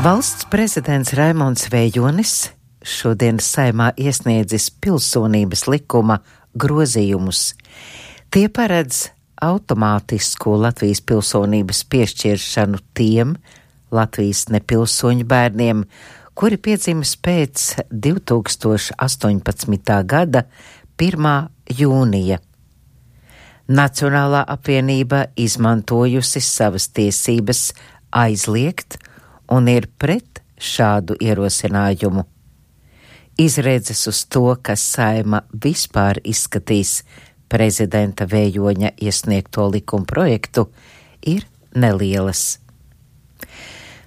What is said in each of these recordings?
Valsts prezidents Raimonds Vējonis šodien Saeimā iesniedzis pilsonības likuma grozījumus. Tie paredz automātisku Latvijas pilsonības piešķiršanu tiem Latvijas nepilsoņu bērniem, kuri piedzimis pēc 2018. gada 1. jūnija. Nacionālā apvienība izmantojusi savas tiesības aizliegt un ir pret šādu ierosinājumu. Izredzes uz to, ka Saeima vispār izskatīs prezidenta Vējoņa iesniegto likuma projektu, ir nelielas.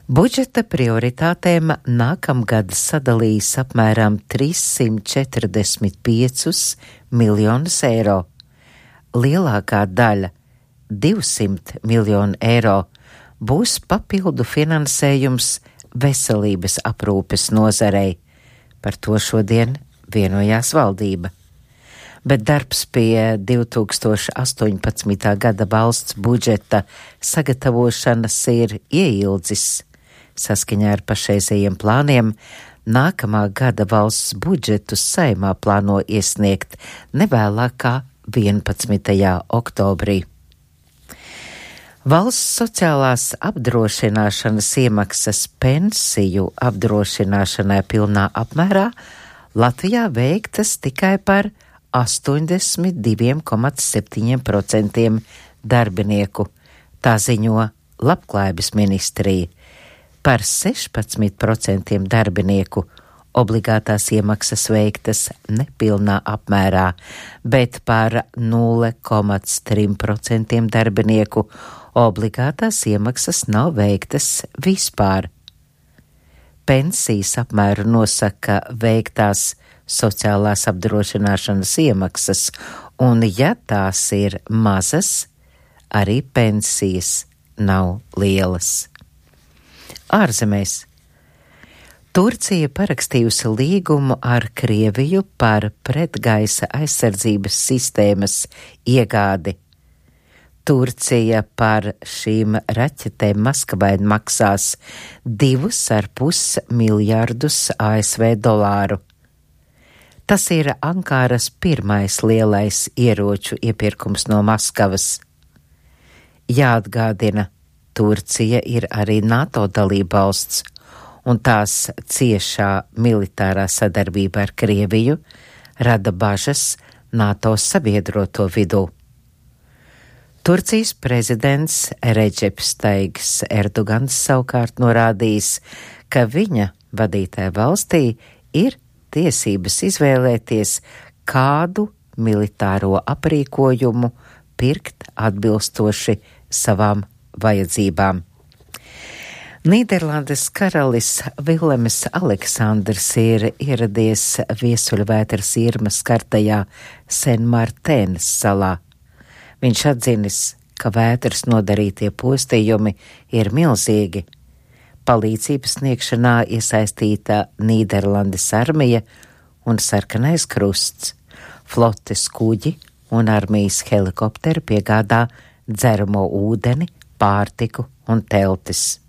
Budžeta prioritātēm nākamgad sadalīs apmēram 345 miljonus eiro. Lielākā daļa, 200 miljonu eiro, būs papildu finansējums veselības aprūpes nozarei. Par to šodien vienojās valdība. Bet darbs pie 2018. gada valsts budžeta sagatavošanas ir ieildzis. Saskaņā ar pašreizējiem plāniem nākamā gada valsts budžetu Saeimā plāno iesniegt nevēlāk kā 11. oktobrī. Valsts sociālās apdrošināšanas iemaksas pensiju apdrošināšanai pilnā apmērā Latvijā veiktas tikai par 82,7% darbinieku, tā ziņo Labklājības ministrija. Par 16% darbinieku obligātās iemaksas veiktas nepilnā apmērā, bet par 0,3% darbinieku obligātās iemaksas nav veiktas vispār. Pensijas apmēru nosaka veiktās sociālās apdrošināšanas iemaksas, un ja tās ir mazas, arī pensijas nav lielas. Ārzemēs. Turcija parakstījusi līgumu ar Krieviju par pretgaisa aizsardzības sistēmas iegādi. Turcija par šīm raķetēm Maskavai maksās 2,5 miljardus ASV dolāru. Tas ir Ankaras pirmais lielais ieroču iepirkums no Maskavas. Jāatgādina, Turcija ir arī NATO dalībvalsts, un tās ciešā militārā sadarbība ar Krieviju rada bažas NATO sabiedroto vidū. Turcijas prezidents Redžeps Taigs Erdogans savukārt norādījis, ka viņa vadītāja valstī ir tiesības izvēlēties, kādu militāro aprīkojumu pirkt atbilstoši savām vajadzībām. Nīderlandes karalis Vilems Aleksandrs ir ieradies viesuļvētras Irmas skartajā Sen-Martēnas salā. Viņš atzinis, ka vētras nodarītie postījumi ir milzīgi. Palīdzības sniegšanā iesaistīta Nīderlandes armija un Sarkanais krusts, flotes kuģi un armijas helikopteri piegādā dzeramo ūdeni, pārtiku un teltis.